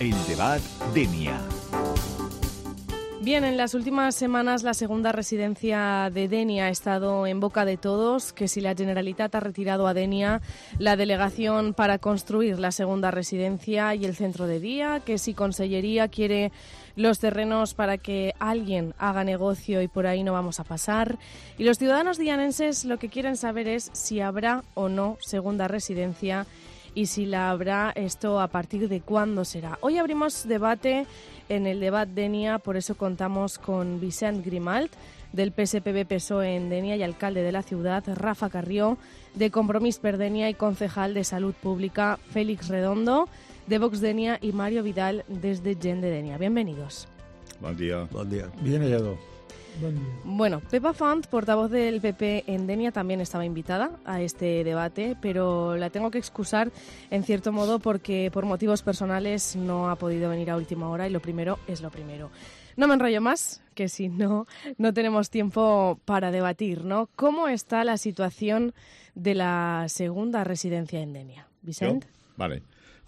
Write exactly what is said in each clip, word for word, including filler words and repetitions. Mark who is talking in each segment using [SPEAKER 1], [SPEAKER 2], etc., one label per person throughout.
[SPEAKER 1] El debat Denia.
[SPEAKER 2] Bien, en las últimas semanas la segunda residencia de Denia ha estado en boca de todos, que si la Generalitat ha retirado a Denia la delegación para construir la segunda residencia y el centro de día, que si Consellería quiere los terrenos para que alguien haga negocio y por ahí no vamos a pasar. Y los ciudadanos dianenses lo que quieren saber es si habrá o no segunda residencia y si la habrá, esto a partir de cuándo será. Hoy abrimos debate en el debat Denia, por eso contamos con Vicent Grimalt, del P S P B P S O E en Denia y alcalde de la ciudad, Rafa Carrió, de Compromís per Denia y concejal de Salud Pública, Félix Redondo, de Vox Denia y Mario Vidal desde Gent de Denia. Bienvenidos.
[SPEAKER 3] Buen día.
[SPEAKER 4] Buen día.
[SPEAKER 5] Bien hallado. Buen día.
[SPEAKER 2] Bueno, Pepa Font, portavoz del P P en Denia, también estaba invitada a este debate, pero la tengo que excusar en cierto modo porque por motivos personales no ha podido venir a última hora y lo primero es lo primero. No me enrollo más, que si no, no tenemos tiempo para debatir, ¿no? ¿Cómo está la situación de la segunda residencia en Denia? Vicent?
[SPEAKER 3] Jo? Vale.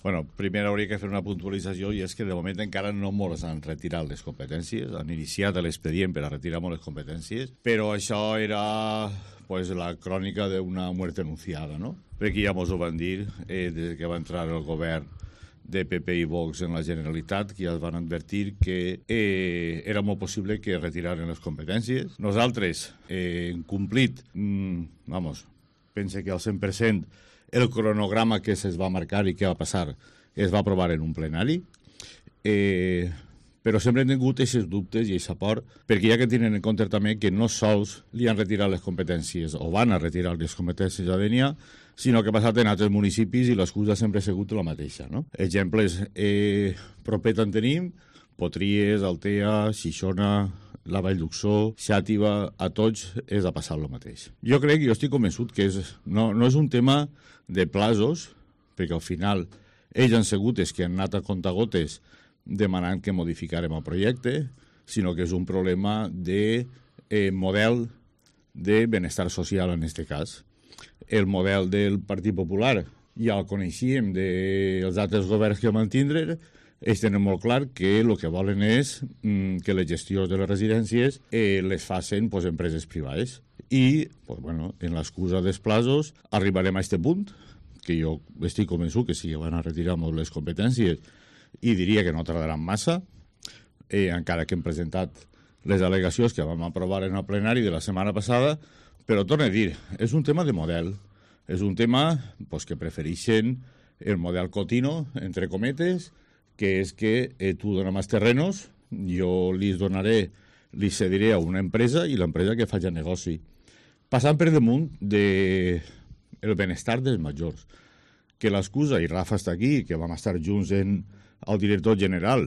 [SPEAKER 3] Bueno, primer hauria de fer una puntualització i és que de moment encara no ens han retirat les competències, han iniciat l'expedient per a retirar les competències, però això era pues, la crònica d'una muerte anunciada, no? Perquè ja ens ho van dir eh, des que va entrar el govern de P P i Vox en la Generalitat, que ja es van advertir que eh, era molt possible que retiraren les competències. Nosaltres eh, hem complit, mm, vamos, pense que al cent per cent el cronograma que es va marcar i què va passar es va aprovar en un plenari, eh, però sempre hem tingut aquests dubtes i aquest por, perquè ja que tenen en compte també que no sols li han retirat les competències o van a retirar les competències a Denia, sinó que ha passat en altres municipis i l'excusa sempre ha sigut la mateixa. No? Exemples, eh, propet en tenim, Potries, Altea, Xixona, la Vall d'Uxó, Xàtiva, a tots és a passar el mateix. Jo crec, jo estic convençut que és, no, no és un tema de plazos, perquè al final ells han sigut els que han anat a contagotes demanant que modificarem el projecte, sinó que és un problema de eh, model de benestar social en aquest cas. El model del Partit Popular ja el coneixíem dels altres governs que van tindre. Ells tenen molt clar que el que volen és mm, que les gestions de les residències eh, les facin pues, empreses privades. I, pues, bueno, en l'excusa dels plazos, arribarem a aquest punt, que jo estic convençut que sí que van a retirar molt les competències i diria que no tardaran massa, eh, encara que hem presentat les al·legacions que vam aprovar en el plenari de la setmana passada, però torno a dir, és un tema de model, és un tema pues, que prefereixen el model Cotino, entre cometes, que és que eh, tu dones més terrenos, jo li donaré, li cediré a una empresa i l'empresa que faci negoci. Passant per damunt de el benestar dels majors, que l'excusa, i Rafa està aquí, que vam estar junts en el director general,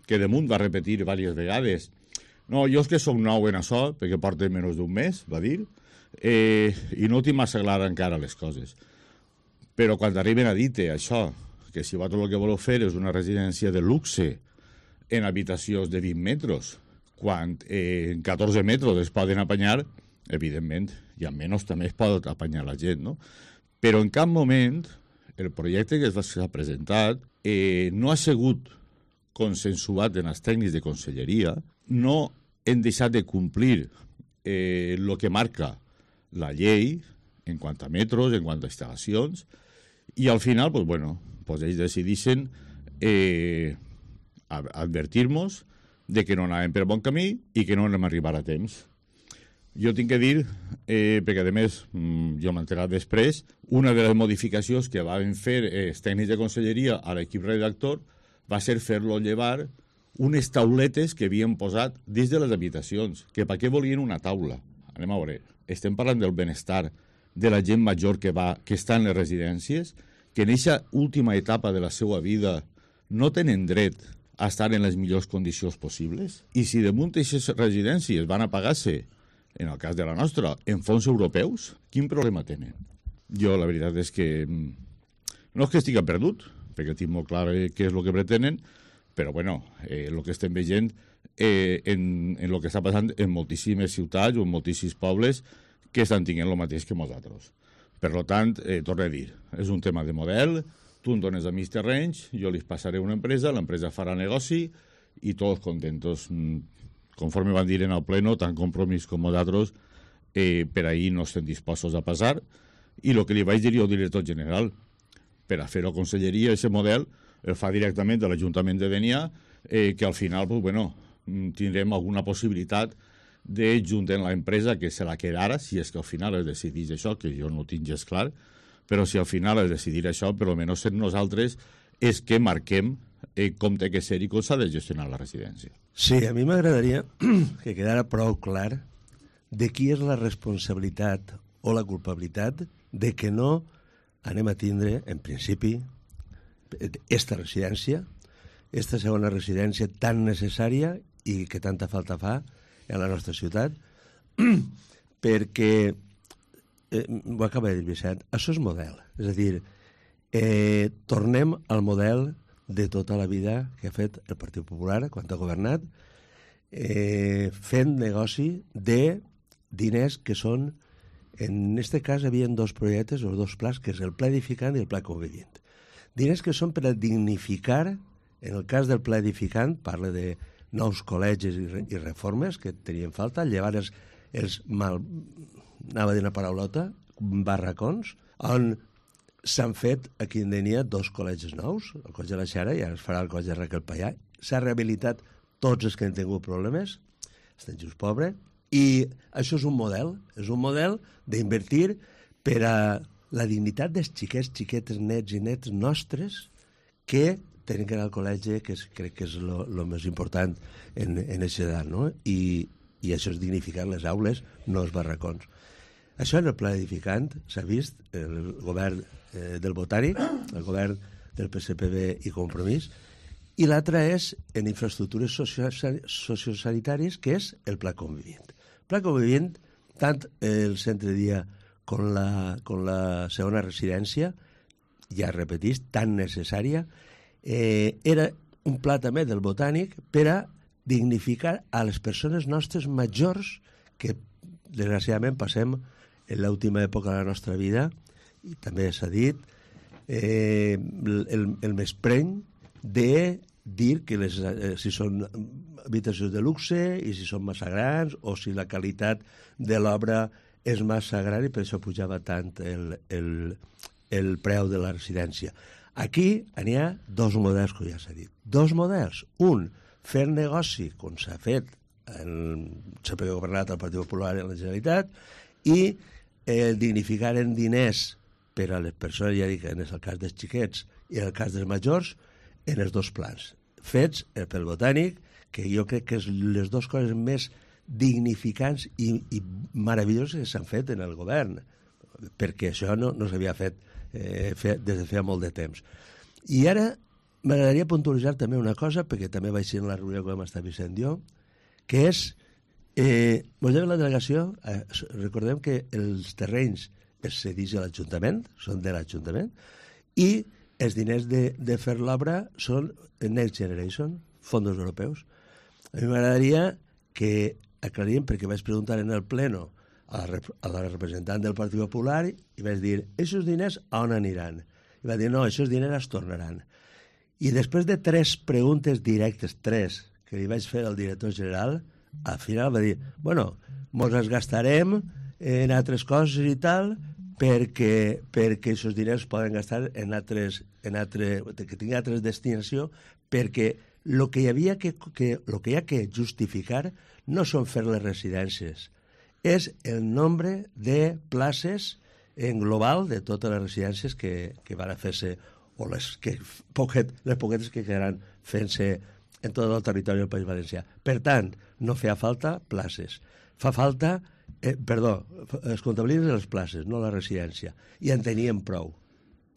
[SPEAKER 3] que damunt va repetir diverses vegades, no, jo és que som nou en això, perquè porta menys d'un mes, va dir, eh, i no tinc massa clar encara les coses. Però quan arriben a dir-te això, que si vosaltres el que voleu fer és una residència de luxe en habitacions de vint metres, quan eh, en catorze metres es poden apanyar, evidentment, i amb menys també es pot apanyar la gent, no? Però en cap moment el projecte que s'ha presentat eh, no ha sigut consensuat en els tècnics de conselleria, no hem deixat de complir eh, el que marca la llei en quant a metros, en quant a instal·lacions, i al final, pues, bueno, pues ells decideixen eh, advertir-nos de que no anàvem per bon camí i que no anem a arribar a temps. Jo tinc que dir, eh, perquè a més jo m'he enterat després, una de les modificacions que van fer els tècnics de conselleria a l'equip redactor va ser fer-lo llevar unes tauletes que havien posat dins de les habitacions, que per què volien una taula? Anem a veure, estem parlant del benestar de la gent major que, va, que està en les residències, que en aquesta última etapa de la seva vida no tenen dret a estar en les millors condicions possibles? I si damunt aquestes residències van a pagar-se, en el cas de la nostra, en fons europeus, quin problema tenen? Jo la veritat és que no és que estigui perdut, perquè tinc molt clar què és el que pretenen, però bueno, eh, el que estem veient eh, en, en el que està passant en moltíssimes ciutats o en moltíssims pobles que estan tinguent el mateix que nosaltres. Per tant, eh, torno a dir, és un tema de model, tu em dones a mis terrenys, jo li passaré una empresa, l'empresa farà negoci i tots contentos. Conforme van dir en el pleno, tant Compromís com d'altres, eh, per ahir no estem dispostos a passar, i el que li vaig dir jo al director general, per a fer-ho a conselleria, aquest model el fa directament de l'Ajuntament de Dénia, eh, que al final pues, bueno, tindrem alguna possibilitat de juntar l'empresa que se la quedara, si és que al final es decidís això, que jo no ho tinc gens clar, però si al final es decidir això, per almenys ser nosaltres és que marquem eh, com té que ser i com s'ha de gestionar la residència.
[SPEAKER 1] Sí, a mi m'agradaria que quedara prou clar de qui és la responsabilitat o la culpabilitat de que no anem a tindre, en principi, esta residència, esta segona residència tan necessària i que tanta falta fa en la nostra ciutat, perquè, eh, ho acaba de dir Vicent, això és model. És a dir, eh, tornem al model de tota la vida que ha fet el Partit Popular quan ha governat, eh, fent negoci de diners que són, en aquest cas hi havia dos projectes o dos plans, que és el Pla Edificant i el Pla Convivient. Diners que són per a dignificar, en el cas del Pla Edificant, parla de nous col·legis i, re, i reformes que tenien falta, llevar els, els mal, anava a dir una paraulota, barracons, on s'han fet aquí en Dénia dos col·legis nous, el Coll de la Xera i ara es farà el Coll de Raquel Pallà. S'ha rehabilitat tots els que han tingut problemes, estan just pobres, i això és un model, és un model d'invertir per a la dignitat dels xiquets, xiquetes, nets i nets nostres que tenen que anar al col·legi, que és, crec que és el més important en aquesta edat, no? I, i això és dignificar les aules, no els barracons. Això en el pla edificant s'ha vist, el govern eh, del Botànic, el govern del P S P B i Compromís, i l'altre és en infraestructures sociosanitàries, que és el Pla Convivient. El Pla Convivient, tant el centre de dia com la, com la segona residència, ja repetís, tan necessària, eh, era un pla també del Botànic per a dignificar a les persones nostres majors que, desgraciadament, passem en l'última època de la nostra vida, i també s'ha dit, eh, el, el menyspreu de dir que les, eh, si són habitacions de luxe i si són massa grans o si la qualitat de l'obra és massa gran i per això pujava tant el, el, el preu de la residència. Aquí n'hi ha dos models, que ja s'ha dit. Dos models. Un, fer negoci, com s'ha fet en, sempre que ha governat el Partit Popular en la Generalitat, i eh, dignificar en diners per a les persones, ja dic, en el cas dels xiquets i en el cas dels majors, en els dos plans. Fets pel Botànic, que jo crec que és les dues coses més dignificants i, i meravelloses que s'han fet en el govern, perquè això no, no s'havia fet, eh, fet des de feia molt de temps. I ara m'agradaria puntualitzar també una cosa, perquè també vaig ser en la reunió que vam estar Vicent i jo, que és, eh, volem la delegació, eh, recordem que els terrenys es cedeix a l'Ajuntament, són de l'Ajuntament, i els diners de, de fer l'obra són Next Generation, fons europeus. A mi m'agradaria que aclarim, perquè vaig preguntar en el pleno a la, a la representant del Partit Popular i vaig dir, aquests diners a on aniran? I va dir, no, aquests diners es tornaran. I després de tres preguntes directes, tres, que li vaig fer al director general, al final va dir, bueno, mos els gastarem en altres coses i tal, perquè, perquè aquests diners poden gastar en altres, en altre, que tingui altres destinació, perquè el que hi havia que, que, lo que hi ha que justificar no són fer les residències, és el nombre de places en global de totes les residències que, que van a fer-se, o les, que, poquet, les poquetes que quedaran fent-se en tot el territori del País Valencià. Per tant, no feia falta places. Fa falta, eh, perdó, es comptabilitzen les places, no la residència. I en teníem prou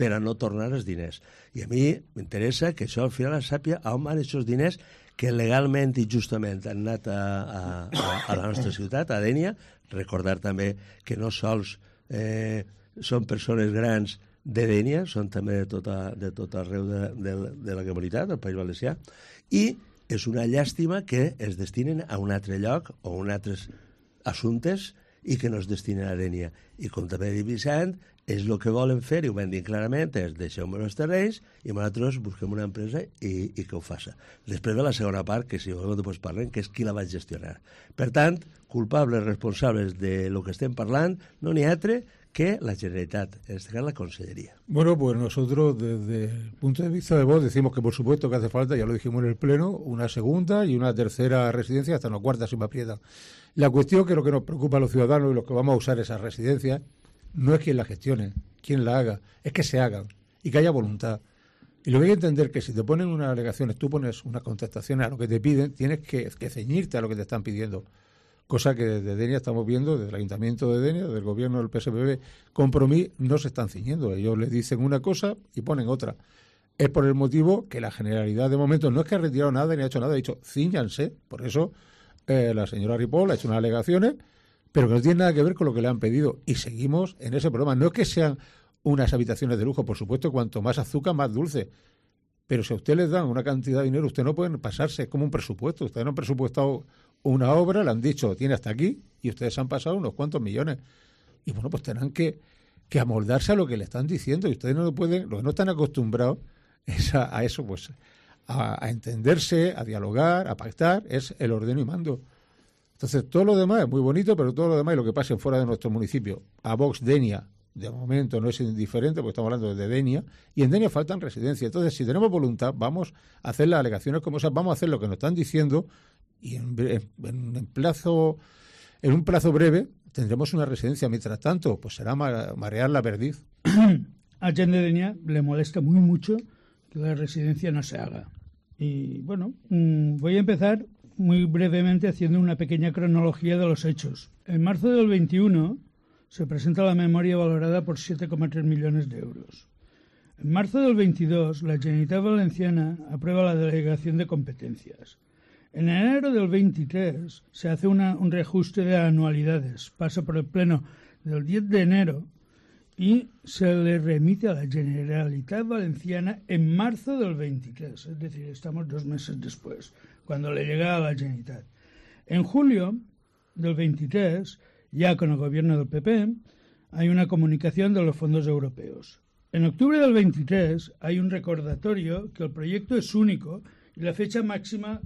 [SPEAKER 1] per a no tornar els diners. I a mi m'interessa que això al final es sàpia on van aquests diners que legalment i justament han anat a, a, a la nostra ciutat, a Dénia. Recordar també que no sols eh, són persones grans de Dénia, són també de tot, a, de tot arreu de, de, de la comunitat, del País Valencià, i és una llàstima que es destinen a un altre lloc o a un altres assumptes i que no es destinen a Dénia. I com també ha dit Vicent, és el que volen fer, i ho van dir clarament, és deixeu-me els terrenys i nosaltres busquem una empresa i, i que ho faça. Després de la segona part, que si volem després parlem, que és qui la va gestionar. Per tant, culpables, responsables de lo que estem parlant, no n'hi ha altre que la Generalitat, en este caso la Consellería.
[SPEAKER 5] Bueno, pues nosotros desde el punto de vista de voz decimos que por supuesto que hace falta, ya lo dijimos en el Pleno, una segunda y una tercera residencia, hasta una cuarta si me aprietan. La cuestión que lo que nos preocupa a los ciudadanos y los que vamos a usar esas residencias no es quién la gestione, quién la haga, es que se hagan y que haya voluntad. Y lo que hay que entender es que si te ponen unas alegaciones, tú pones unas contestaciones a lo que te piden, tienes que, que ceñirte a lo que te están pidiendo. Cosa que desde Denia estamos viendo, desde el Ayuntamiento de Denia, del gobierno del P S P B, Compromís, no se están ciñendo. Ellos le dicen una cosa y ponen otra. Es por el motivo que la Generalidad de momento no es que ha retirado nada ni ha hecho nada, ha dicho cíñanse. Por eso eh, la señora Ripoll ha hecho unas alegaciones, pero que no tienen nada que ver con lo que le han pedido. Y seguimos en ese problema. No es que sean unas habitaciones de lujo, por supuesto, cuanto más azúcar, más dulce. Pero si a usted les dan una cantidad de dinero, usted no puede pasarse, es como un presupuesto. Ustedes no han presupuestado una obra, le han dicho, tiene hasta aquí, y ustedes han pasado unos cuantos millones. Y bueno, pues tendrán que, que amoldarse a lo que le están diciendo, y ustedes no lo pueden, los que no están acostumbrados es a, a eso, pues a, a entenderse, a dialogar, a pactar, es el ordeno y mando. Entonces, todo lo demás es muy bonito, pero todo lo demás y lo que pase fuera de nuestro municipio, a Vox Denia, de momento no es indiferente, porque estamos hablando de Denia, y en Denia faltan residencias. Entonces, si tenemos voluntad, vamos a hacer las alegaciones como esas, vamos a hacer lo que nos están diciendo, y en, en, en, plazo, en un plazo breve tendremos una residencia. Mientras tanto, pues será marear la perdiz.
[SPEAKER 4] A Gent de Denia le molesta muy mucho que la residencia no se haga. Y bueno, mmm, voy a empezar muy brevemente haciendo una pequeña cronología de los hechos. En marzo del veintiuno se presenta la memoria valorada por siete coma tres millones de euros. En marzo del veintidós, la Generalitat Valenciana aprueba la delegación de competencias. En enero del veintitrés se hace una, un reajuste de anualidades, pasa por el Pleno del diez de enero y se le remite a la Generalitat Valenciana en marzo del veintitrés, es decir, estamos dos meses después, cuando le llega a la Generalitat. En julio del veintitrés, ya con el gobierno del P P, hay una comunicación de los fondos europeos. En octubre del veintitrés hay un recordatorio que el proyecto es único y la fecha máxima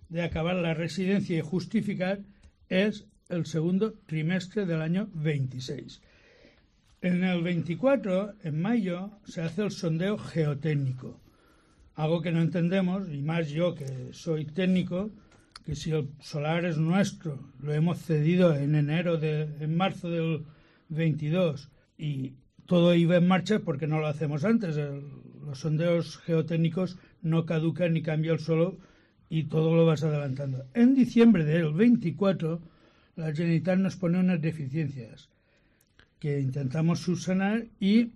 [SPEAKER 4] de acabar la residencia y justificar es el segundo trimestre del año veintiséis. En el veinticuatro, en mayo, se hace el sondeo geotécnico, algo que no entendemos, y más yo que soy técnico, que si el solar es nuestro, lo hemos cedido en enero, de, en marzo del veintidós, y todo iba en marcha porque no lo hacemos antes. El, los sondeos geotécnicos no caducan ni cambia el suelo y todo lo vas adelantando. En diciembre del veinticuatro, la Generalitat nos pone unas deficiencias que intentamos subsanar y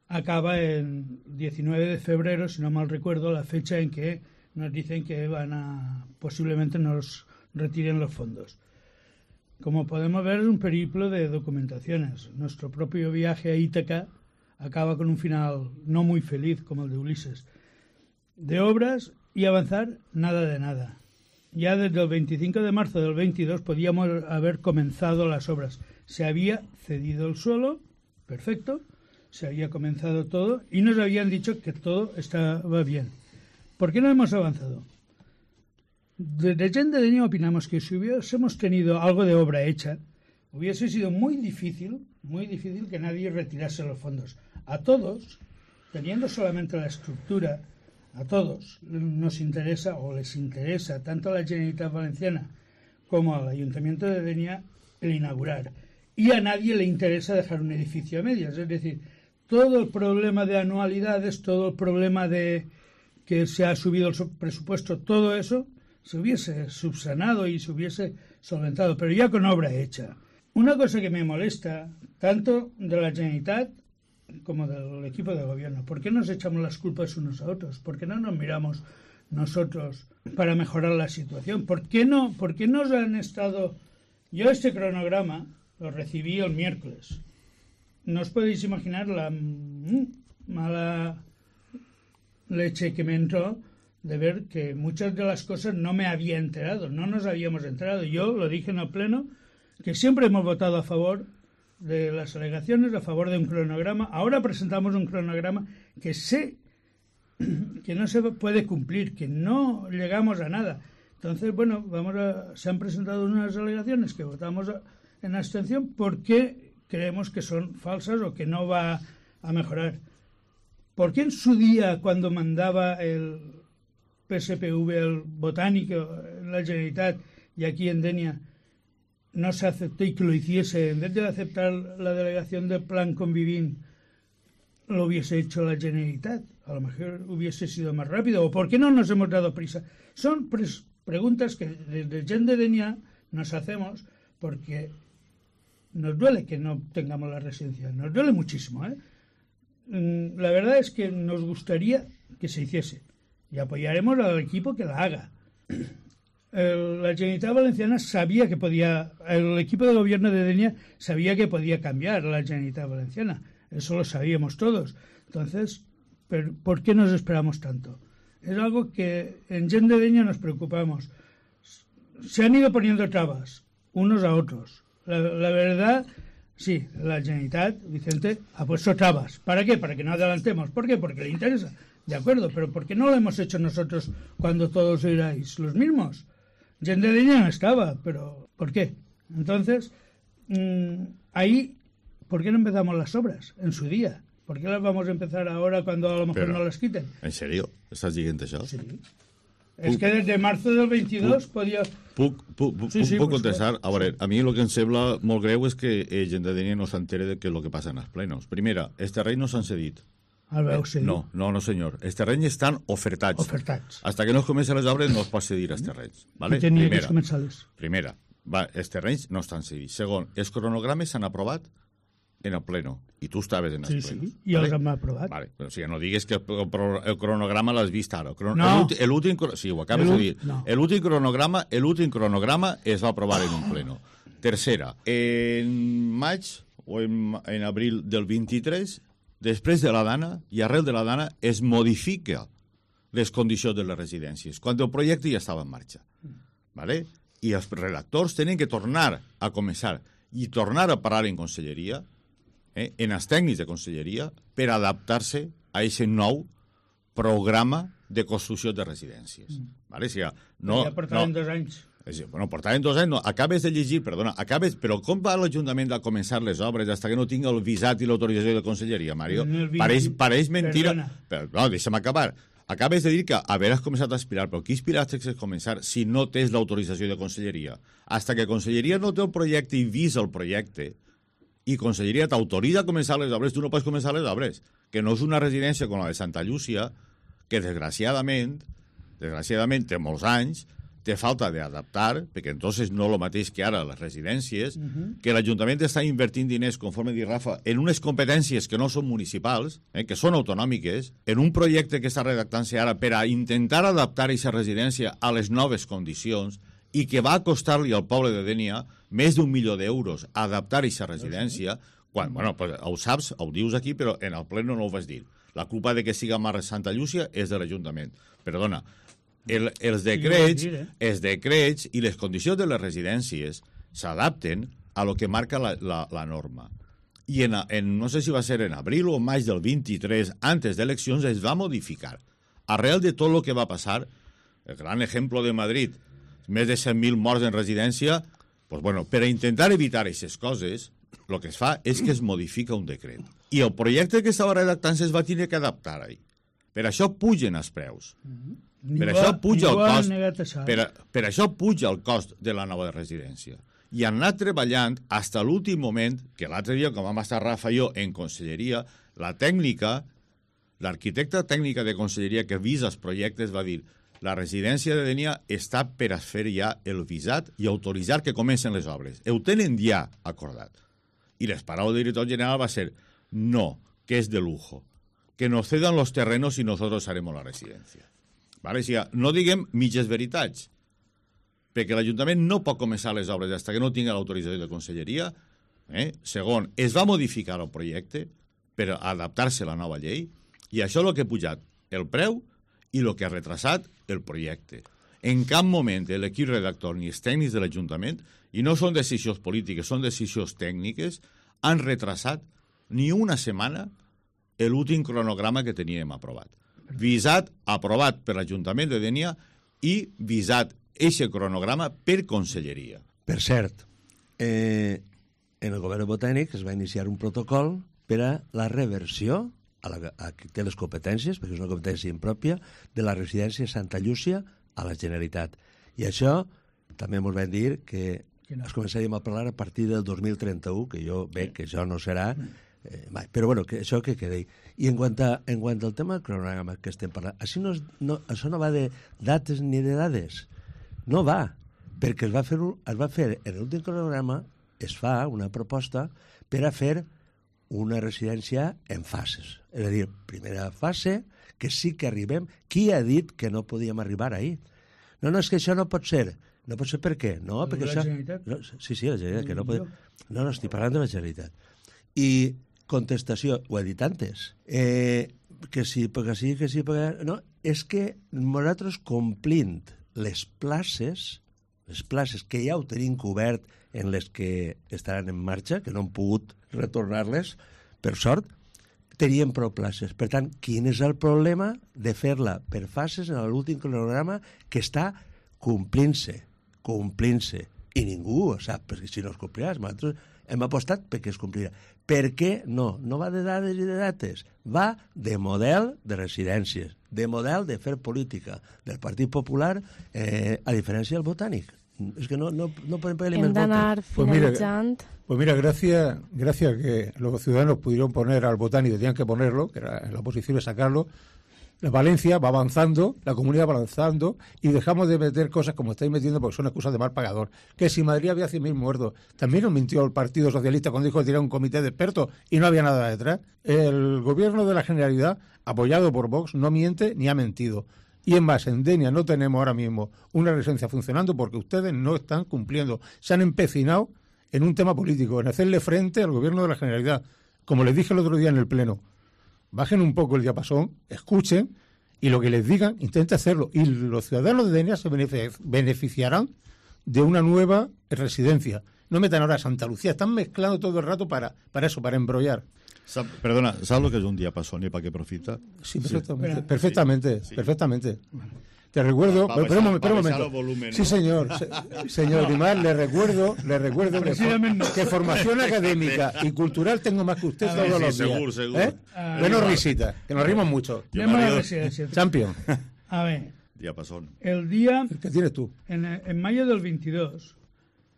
[SPEAKER 4] acaba en diecinueve de febrero, si no mal recuerdo, la fecha en que nos dicen que van a posiblemente nos retiren los fondos. Como podemos ver, es un periplo de documentaciones. Nuestro propio viaje a Ítaca acaba con un final no muy feliz, como el de Ulises. De obras y avanzar, nada de nada. Ya desde el veinticinco de marzo del veintidós podíamos haber comenzado las obras. Se había cedido el suelo, perfecto, se había comenzado todo y nos habían dicho que todo estaba bien. ¿Por qué no hemos avanzado? Desde Gent de Denia opinamos que si hubiésemos tenido algo de obra hecha, hubiese sido muy difícil, muy difícil que nadie retirase los fondos. A todos, teniendo solamente la estructura, a todos nos interesa o les interesa, tanto a la Generalitat Valenciana como al Ayuntamiento de Denia, el inaugurar. Y a nadie le interesa dejar un edificio a medias. Es decir, todo el problema de anualidades, todo el problema de que se ha subido el presupuesto, todo eso se hubiese subsanado y se hubiese solventado, pero ya con obra hecha. Una cosa que me molesta, tanto de la Generalitat como del equipo de gobierno, ¿por qué nos echamos las culpas unos a otros? ¿Por qué no nos miramos nosotros para mejorar la situación? ¿Por qué no, por qué nos han estado... Yo este cronograma lo recibí el miércoles. No os podéis imaginar la mm, mala leche que me entró de ver que muchas de las cosas no me había enterado, no nos habíamos enterado. Yo lo dije en el Pleno, que siempre hemos votado a favor de las alegaciones a favor de un cronograma. Ahora presentamos un cronograma que sé que no se puede cumplir, que no llegamos a nada. Entonces, bueno, vamos a, se han presentado unas alegaciones que votamos a, en abstención porque creemos que son falsas o que no va a mejorar. ¿Por qué en su día, cuando mandaba el P S P V, el botánico, en la Generalitat y aquí en Denia, no se aceptó y que lo hiciese, en vez de aceptar la delegación del Plan Convivint, lo hubiese hecho la Generalitat? A lo mejor hubiese sido más rápido. ¿O por qué no nos hemos dado prisa? Son pre preguntas que desde Gent de Denia nos hacemos porque nos duele que no tengamos la residencia. Nos duele muchísimo, ¿eh? La verdad es que nos gustaría que se hiciese y apoyaremos al equipo que la haga. El, la Generalitat Valenciana sabía que podía, el equipo de gobierno de Denia sabía que podía cambiar la Generalitat Valenciana, eso lo sabíamos todos. Entonces, ¿pero por qué nos esperamos tanto? Es algo que en Gent de Denia nos preocupamos. Se han ido poniendo trabas unos a otros. La, la verdad, sí, la Generalitat, Vicente, ha puesto trabas. ¿Para qué? Para que no adelantemos. ¿Por qué? Porque le interesa. De acuerdo, pero ¿por qué no lo hemos hecho nosotros cuando todos erais los mismos? Gent de Denia no estaba, pero ¿por qué? Entonces, mmm, ahí, ¿por qué no empezamos las obras en su día? ¿Por qué las vamos a empezar ahora cuando a lo mejor
[SPEAKER 3] Pero,
[SPEAKER 4] no las quiten?
[SPEAKER 3] ¿En serio? ¿Estás diciendo això?
[SPEAKER 4] Sí. És que des de marzo del veintidós
[SPEAKER 3] puc,
[SPEAKER 4] podia...
[SPEAKER 3] Puc, puc, puc,
[SPEAKER 4] sí, sí,
[SPEAKER 3] puc contestar?
[SPEAKER 4] sí.
[SPEAKER 3] A veure, a mi el que em sembla molt greu és que eh, Gent de Denia no s'entere de què és el que passa en els plenos. Primera, els terrenys no s'han cedit.
[SPEAKER 4] El veu cedir.
[SPEAKER 3] No, no, no, senyor. Els terrenys estan ofertats.
[SPEAKER 4] Ofertats.
[SPEAKER 3] Hasta que no es comencen les obres no es pot cedir els terrenys. Vale?
[SPEAKER 4] I tenia
[SPEAKER 3] Primera,
[SPEAKER 4] que començar-les.
[SPEAKER 3] primera, va, els terrenys no estan cedits. Segon, els cronogrames s'han aprovat en el pleno. I tu estaves en els
[SPEAKER 4] Sí,
[SPEAKER 3] plenos.
[SPEAKER 4] sí, i els hem aprovat.
[SPEAKER 3] Vale, però, o sigui, no digues que el, el cronograma l'has vist ara. El crono,
[SPEAKER 4] No.
[SPEAKER 3] L'últim... Sí, ho acabes de dir.
[SPEAKER 4] No.
[SPEAKER 3] L'últim cronograma, l'últim cronograma es va aprovar en un pleno. Tercera, en maig o en, en abril del vint-i-tres, després de la dana i arrel de la dana es modifica les condicions de les residències, quan el projecte ja estava en marxa. Vale? I els redactors tenen que tornar a començar i tornar a parlar en conselleria, eh, en els tècnics de conselleria, per adaptar-se a aquest nou programa de construcció de residències. Mm. Vale? O sigui, no,
[SPEAKER 4] ja portaven
[SPEAKER 3] no,
[SPEAKER 4] dos anys.
[SPEAKER 3] és, bueno, portaven dos anys, no, acabes de llegir, perdona, acabes, però com va l'Ajuntament a començar les obres fins que no tinga el visat i l'autorització de conselleria, Mario?
[SPEAKER 4] vint,
[SPEAKER 3] Pareix, pareix mentira.
[SPEAKER 4] perdona.
[SPEAKER 3] Però, no, deixa'm acabar. Acabes de dir que haveràs començat a aspirar, però qui aspiraste a començar si no tens l'autorització de conselleria? Hasta que conselleria no té el projecte i visa el projecte, i conselleria t'autoritza a començar les obres, tu no pots començar les obres. Que no és una residència com la de Santa Llúcia, que desgraciadament, desgraciadament té molts anys, té falta d'adaptar, perquè entonces no el mateix que ara les residències, uh-huh. que l'Ajuntament està invertint diners, conforme dit Rafa, en unes competències que no són municipals, eh, que són autonòmiques, en un projecte que està redactant-se ara per a intentar adaptar aquesta residència a les noves condicions i que va costar-li al poble de Denia més d'un milió d'euros adaptar aquesta residència, quan, bueno, pues, ho saps, ho dius aquí, però en el ple no ho vas dir. La culpa de que siga Mar Santa Llúcia és de l'Ajuntament. Perdona, el, els decrets, els decrets i les condicions de les residències s'adapten a lo que marca la, la, la norma. I en, en, no sé si va ser en abril o maig del vint-i-tres, antes d'eleccions, es va modificar. Arrel de tot el que va passar, el gran exemple de Madrid, més de cent mil morts en residència, pues bueno, per a intentar evitar aquestes coses, el que es fa és que es modifica un decret. I el projecte que estava redactant-se es va tenir que adaptar ahí. Per això pugen els preus.
[SPEAKER 4] Mm-hmm.
[SPEAKER 3] Per això puja el cost. Per, a, per això puja el cost de la nova residència. I han anat treballant fins a l'últim moment, que l'altre dia, com vam estar Rafa i jo en conselleria, la tècnica, l'arquitecta tècnica de conselleria que visa els projectes va dir: la residència de Denia està per a fer ja el visat i autoritzar que comencen les obres. Ho tenen ja acordat. Y les paraules del director general va a ser: no, que es de lujo, que nos cedan los terrenos y nosotros haremos la residencia. Vale? O sigui, no diguem mitges veritats, perquè l'Ajuntament no pot començar les obres fins que no tingui l'autorització de conselleria. Eh? Segon, es va modificar el projecte per adaptar-se a la nova llei, i això és el que ha pujat el preu i el que ha retrasat el projecte. En cap moment l'equip redactor ni els tècnics de l'Ajuntament, i no són decisions polítiques, són decisions tècniques, han retrasat ni una setmana l'últim cronograma que teníem aprovat. Visat, aprovat per l'Ajuntament de Dénia i visat eixe cronograma per Conselleria.
[SPEAKER 1] Per cert, eh, en el govern botànic es va iniciar un protocol per a la reversió, a, la, a qui té les competències, perquè és una competència impròpia, de la residència Santa Llúcia a la Generalitat. I això també ens van dir que no. es començaríem a parlar a partir del dos mil trenta-u, que jo veig que això no serà... Eh, mai. Però bueno, que això que quedi. I en quant, a, en quant al tema del cronograma que estem parlant, això no, no, això no va de dates ni de dades. No va, perquè es va fer, un, es va fer en l'últim cronograma, es fa una proposta per a fer una residència en fases. És a dir, primera fase, que sí que arribem. Qui ha dit que no podíem arribar ahir? No, no, és que això no pot ser. No pot ser per què? No, perquè
[SPEAKER 4] la
[SPEAKER 1] això...
[SPEAKER 4] Generalitat?
[SPEAKER 1] No, sí, sí, la Generalitat. Que no, pod... no, no, estic parlant de la Generalitat. I contestació, ho he dit antes, eh, que sí, perquè sí, que sí, perquè... No, és que nosaltres complint les places, les places que ja ho tenim cobert en les que estaran en marxa, que no han pogut retornar-les, per sort, teníem prou places. Per tant, quin és el problema de fer-la per fases en l'últim cronograma que està complint-se, complint-se. I ningú ho sap, perquè si no es complirà, nosaltres hem apostat perquè es complirà. Per què no? No va de dades i de dates, va de model de residències, de model de fer política del Partit Popular, eh, a diferència del Botànic. Es que no, no, no podem pagar
[SPEAKER 2] Hem
[SPEAKER 1] més
[SPEAKER 2] d'anar
[SPEAKER 1] votos.
[SPEAKER 2] finalitzant.
[SPEAKER 5] Pues mira, pues mira gracias, gracias que los ciudadanos pudieron poner al Botànic, tenían que ponerlo, que era la oposición de sacarlo. La Valencia va avanzando, la comunidad va avanzando y dejamos de meter cosas como estáis metiendo porque son excusas de mal pagador. Que si Madrid había cien mil muertos, también nos mintió el Partido Socialista cuando dijo que tenía un comité de expertos y no había nada detrás. El gobierno de la Generalidad, apoyado por Vox, no miente ni ha mentido. Y en más, en Denia no tenemos ahora mismo una residencia funcionando porque ustedes no están cumpliendo. Se han empecinado en un tema político, en hacerle frente al gobierno de la Generalidad. Como les dije el otro día en el Pleno, bajen un poco el diapasón, escuchen y lo que les digan, intenten hacerlo. Y los ciudadanos de Denia se beneficiarán de una nueva residencia. No metan ahora a Santa Lucía, están mezclando todo el rato para, para eso, para embrollar.
[SPEAKER 3] Sap, perdona, ¿sabes lo que es un diapasón y para qué profita?
[SPEAKER 5] Sí, perfectamente,
[SPEAKER 3] Sí.
[SPEAKER 5] perfectamente,
[SPEAKER 3] Sí.
[SPEAKER 5] perfectamente. Te recuerdo,
[SPEAKER 3] Pa- pa
[SPEAKER 5] pero un
[SPEAKER 3] baixar-
[SPEAKER 5] momento, pero un
[SPEAKER 3] pa baixar
[SPEAKER 5] momento.
[SPEAKER 3] el volumen, ¿no?
[SPEAKER 5] Sí, señor, se- señor Grimar, le recuerdo, le recuerdo que,
[SPEAKER 4] Precisamente no.
[SPEAKER 5] que formación académica y cultural tengo más que usted
[SPEAKER 4] A
[SPEAKER 5] todos
[SPEAKER 4] ver,
[SPEAKER 3] sí,
[SPEAKER 5] los días.
[SPEAKER 3] seguro, seguro.
[SPEAKER 5] ¿Eh?
[SPEAKER 4] Ah,
[SPEAKER 5] Menos
[SPEAKER 3] igual.
[SPEAKER 5] risita, que nos rimos mucho.
[SPEAKER 3] Yo
[SPEAKER 4] Anem a la
[SPEAKER 3] marido-
[SPEAKER 4] residència.
[SPEAKER 5] Champion,
[SPEAKER 4] A veure,
[SPEAKER 3] Diapasón.
[SPEAKER 4] el dia,
[SPEAKER 5] ¿qué tienes tú?
[SPEAKER 4] en, en maio del vint-i-dos,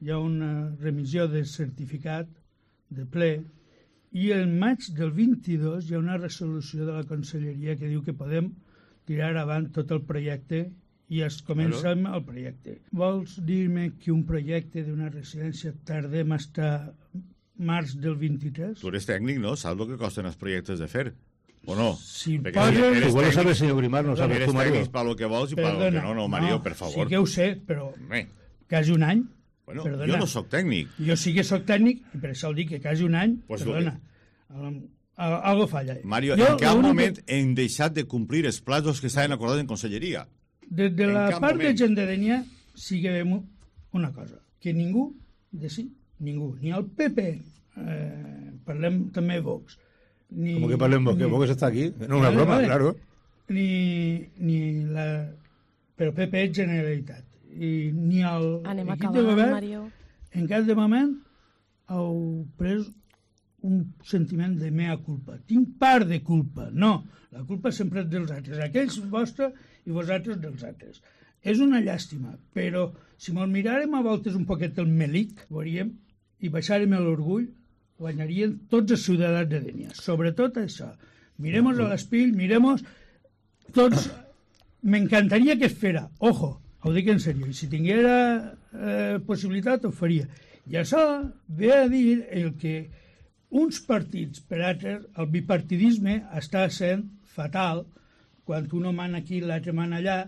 [SPEAKER 4] hi ha una remissió de certificat de ple i el maig del vint-i-dos hi ha una resolució de la Conselleria que diu que podem tirar avant tot el projecte i es comença amb el projecte. Vols dir-me que un projecte d'una residència tardem hasta març del vint-i-tres?
[SPEAKER 3] Tú eres técnico, ¿no? ¿Sabes lo que costan los proyectos de fer? ¿O no?
[SPEAKER 4] Si
[SPEAKER 3] Perquè
[SPEAKER 4] posen-
[SPEAKER 3] eres
[SPEAKER 5] Igual lo sabe el
[SPEAKER 3] técnic-
[SPEAKER 5] señor Grimar, no sabe
[SPEAKER 3] Eres
[SPEAKER 5] tu, Mario.
[SPEAKER 3] técnic para lo que vols y para lo que
[SPEAKER 4] Perdona,
[SPEAKER 3] no. No, Mario, per favor.
[SPEAKER 4] Sí que ho sé, però
[SPEAKER 3] Home,
[SPEAKER 4] quasi un any.
[SPEAKER 3] bueno,
[SPEAKER 4] Perdona.
[SPEAKER 3] jo no sóc tècnic.
[SPEAKER 4] Jo sí que sóc tècnic, i per això el dic que quasi un any,
[SPEAKER 3] Pues
[SPEAKER 4] perdona, um, algo falla.
[SPEAKER 3] Mario,
[SPEAKER 4] Jo,
[SPEAKER 3] en cap
[SPEAKER 4] l'únic
[SPEAKER 3] moment
[SPEAKER 4] que-
[SPEAKER 3] hem deixat de complir els plazos que estaven acordats en Conselleria?
[SPEAKER 4] Des de
[SPEAKER 3] en
[SPEAKER 4] la
[SPEAKER 3] cap
[SPEAKER 4] part
[SPEAKER 3] moment.
[SPEAKER 4] de gent de Denia sí que veiem una cosa, que ningú, de sí, ningú, ni el P P, eh, parlem també Vox, ni...
[SPEAKER 5] Como que parlem Vox, que
[SPEAKER 4] ni-
[SPEAKER 5] Vox está aquí. No, una
[SPEAKER 4] Vale,
[SPEAKER 5] broma,
[SPEAKER 4] vale.
[SPEAKER 5] claro.
[SPEAKER 4] Ni, ni la... Però P P és Generalitat. I ni el
[SPEAKER 2] Anem
[SPEAKER 4] equip
[SPEAKER 2] acabant,
[SPEAKER 4] de govern,
[SPEAKER 2] Mario.
[SPEAKER 4] en cas de moment, heu pres un sentiment de mea culpa. Tinc part de culpa. No, la culpa sempre és dels altres. Aquells vostres i vosaltres dels altres. És una llàstima, però si mos miràrem a voltes un poquet el melic, veuríem, i baixàrem l'orgull, guanyarien tots els ciutadans de Denia. Sobretot això. Miremos a l'espill, miremos tots... M'encantaria que es fera. Ojo, ho dic en sèrio. I si tinguera eh, possibilitat, ho faria. I això ve a dir el que uns partits per altres, el bipartidisme està sent fatal quan un mana aquí i l'altre mana allà,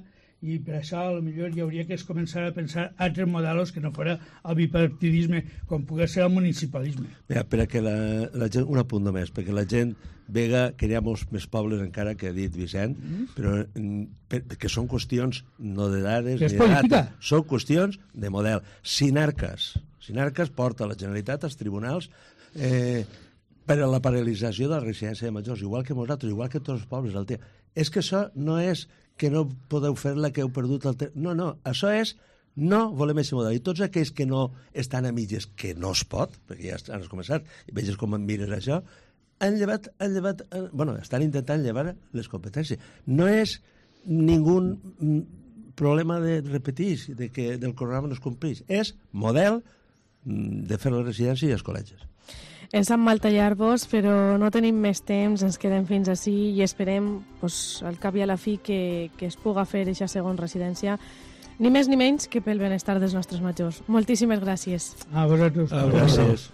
[SPEAKER 4] i per això potser hi hauria que es començar a pensar altres models que no fora el bipartidisme, com pugui ser el municipalisme.
[SPEAKER 1] Mira, per a que la, la gent, un apunt només, perquè la gent vega que hi ha molts més pobles encara que ha dit Vicent, mm-hmm. però mm, per, que són qüestions no de dades
[SPEAKER 4] Que és
[SPEAKER 1] ni de
[SPEAKER 4] política.
[SPEAKER 1] data, són qüestions de model. Sinarcas. Sinarcas porta la Generalitat als tribunals eh, per a la paralització de la residència de majors, igual que nosaltres, igual que tots els pobles del Ter. És que això no és que no podeu fer-la, que heu perdut el temps. No, no, això és no volem aquest model. I tots aquells que no estan a mitges, que no es pot, perquè ja has començat, i veges com mires això, han llevat, han llevat, bueno, estan intentant llevar les competències. No és ningú problema de repetir, de que del programa no es compleix. És model de fer la residència i els col·legis.
[SPEAKER 2] Ens sap mal tallar-vos, però no tenim més temps, ens quedem fins ací i esperem, pues, al cap i a la fi, que, que es puga fer aquesta segona residència, ni més ni menys que pel benestar dels nostres majors. Moltíssimes gràcies.
[SPEAKER 4] A vosaltres.
[SPEAKER 1] Gràcies.